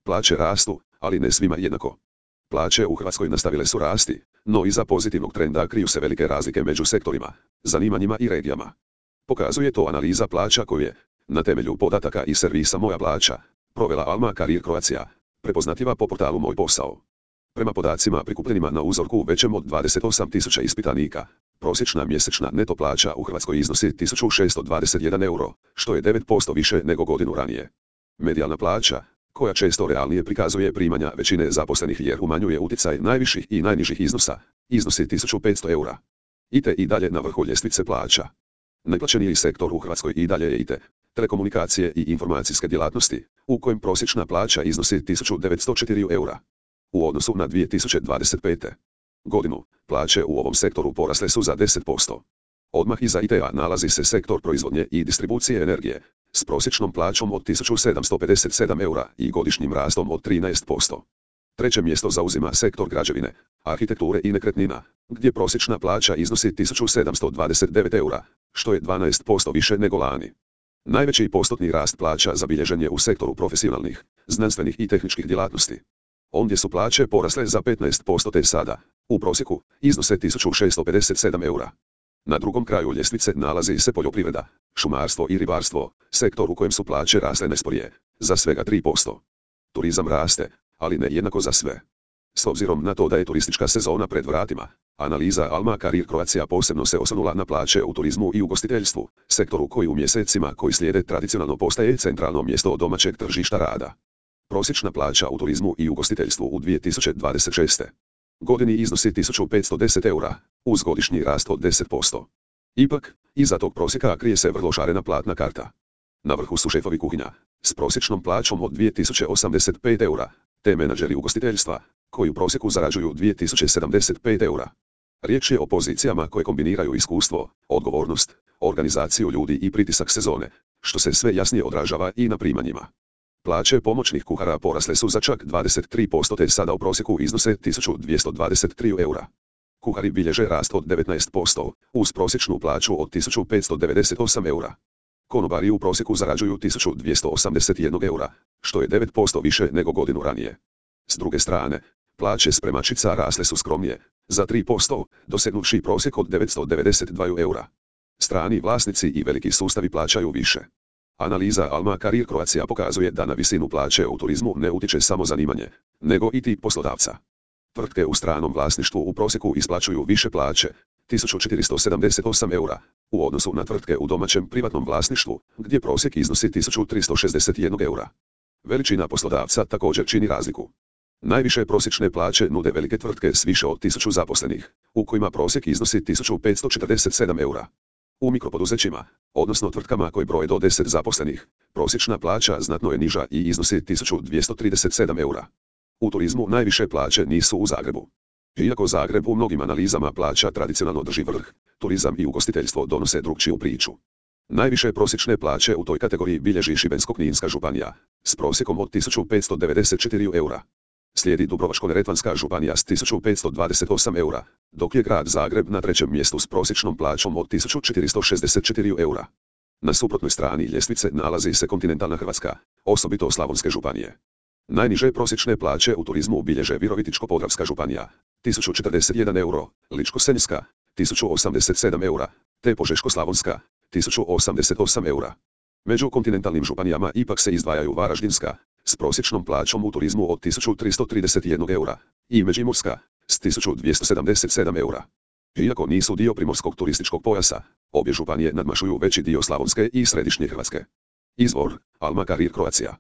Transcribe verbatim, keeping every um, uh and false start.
Plaće rastu, ali ne svima jednako. Plaće u Hrvatskoj nastavile su rasti, no iza pozitivnog trenda kriju se velike razlike među sektorima, zanimanjima i regijama. Pokazuje to analiza plaća koju je, na temelju podataka i servisa Moja plaća, provela Alma Career Croatia, prepoznatljiva po portalu Moj posao. Prema podacima prikupljenima na uzorku većem od dvadeset osam tisuća ispitanika, prosječna mjesečna neto plaća u Hrvatskoj iznosi tisuću šessto dvadeset jedan euro, što je devet posto više nego godinu ranije. Medijalna plaća, koja često realnije prikazuje primanja većine zaposlenih jer umanjuje utjecaj najviših i najnižih iznosa, iznosi tisuću petsto eura. I T i dalje na vrhu ljestvice plaća. Najplaćeniji sektor u Hrvatskoj i dalje je I T, telekomunikacije i informacijske djelatnosti, u kojem prosječna plaća iznosi tisuću devetsto četiri eura. U odnosu na dvije tisuće dvadeset pete. godinu, plaće u ovom sektoru porasle su za deset posto. Odmah iza I T-a nalazi se sektor proizvodnje i distribucije energije, s prosječnom plaćom od tisuću sedamsto pedeset sedam eura i godišnjim rastom od trinaest posto. Treće mjesto zauzima sektor građevine, arhitekture i nekretnina, gdje prosječna plaća iznosi tisuću sedamsto dvadeset devet eura, što je dvanaest posto više nego lani. Najveći postotni rast plaća zabilježen je u sektoru profesionalnih, znanstvenih i tehničkih djelatnosti. Ondje su plaće porasle za petnaest posto te sada, u prosjeku, iznose tisuću šessto pedeset sedam eura. Na drugom kraju ljestvice nalazi se poljoprivreda, šumarstvo i ribarstvo, sektor u kojem su plaće rasle najsporije, za svega tri posto. Turizam raste, ali ne jednako za sve. S obzirom na to da je turistička sezona pred vratima, analiza Alma Career Croatia posebno se osvrnula na plaće u turizmu i ugostiteljstvu, sektoru koji u mjesecima koji slijede tradicionalno postaje centralno mjesto domaćeg tržišta rada. Prosječna plaća u turizmu i ugostiteljstvu u dvije tisuće dvadeset šeste. godini iznosi tisuću petsto deset eura, uz godišnji rast od deset posto. Ipak, iza tog prosjeka krije se vrlo šarena platna karta. Na vrhu su šefovi kuhinja, s prosječnom plaćom od dvije tisuće osamdeset pet eura, te menadžeri ugostiteljstva, koji u prosjeku zarađuju dvije tisuće sedamdeset pet eura. Riječ je o pozicijama koje kombiniraju iskustvo, odgovornost, organizaciju ljudi i pritisak sezone, što se sve jasnije odražava i na primanjima. Plaće pomoćnih kuhara porasle su za čak dvadeset tri posto te sada u prosjeku iznose tisuću dvjesto dvadeset tri eura. Kuhari bilježe rast od devetnaest posto, uz prosječnu plaću od tisuću petsto devedeset osam eura. Konobari u prosjeku zarađuju tisuću dvjesto osamdeset jedan eura, što je devet posto više nego godinu ranije. S druge strane, plaće spremačica rasle su skromnije, za tri posto, dosegnuvši prosjek od devetsto devedeset dva eura. Strani vlasnici i veliki sustavi plaćaju više. Analiza Alma Career Croatia pokazuje da na visinu plaće u turizmu ne utječe samo zanimanje, nego i tip poslodavca. Tvrtke u stranom vlasništvu u prosjeku isplaćuju više plaće, tisuću četiristo sedamdeset osam eura, u odnosu na tvrtke u domaćem privatnom vlasništvu, gdje prosjek iznosi tisuću tristo šezdeset jedan eura. Veličina poslodavca također čini razliku. Najviše prosječne plaće nude velike tvrtke s više od tisuću zaposlenih, u kojima prosjek iznosi tisuću petsto četrdeset sedam eura. U mikropoduzećima, odnosno tvrtkama koji broje do deset zaposlenih, prosječna plaća znatno je niža i iznosi tisuću dvjesto trideset sedam eura. U turizmu najviše plaće nisu u Zagrebu. Iako Zagreb u mnogim analizama plaća tradicionalno drži vrh, turizam i ugostiteljstvo donose drukčiju priču. Najviše prosječne plaće u toj kategoriji bilježi Šibensko-kninska županija, s prosjekom od tisuću petsto devedeset četiri eura. Slijedi Dubrovačko-neretvanska županija s tisuću petsto dvadeset osam eura, dok je grad Zagreb na trećem mjestu s prosječnom plaćom od tisuću četiristo šezdeset četiri eura. Na suprotnoj strani ljestvice nalazi se kontinentalna Hrvatska, osobito slavonske županije. Najniže prosječne plaće u turizmu bilježe Virovitičko-podravska županija, tisuću četrdeset jedan euro, Ličko-senjska, tisuću osamdeset sedam eura, te Požeško-slavonska, tisuću osamdeset osam eura. Među kontinentalnim županijama ipak se izdvajaju Varaždinska, s prosječnom plaćom u turizmu od tisuću tristo trideset jedan eura, i Međimurska, s tisuću dvjesto sedamdeset sedam eura. Iako nisu dio primorskog turističkog pojasa, obje županije nadmašuju veći dio slavonske i središnje Hrvatske. Izvor, Alma Career Croatia.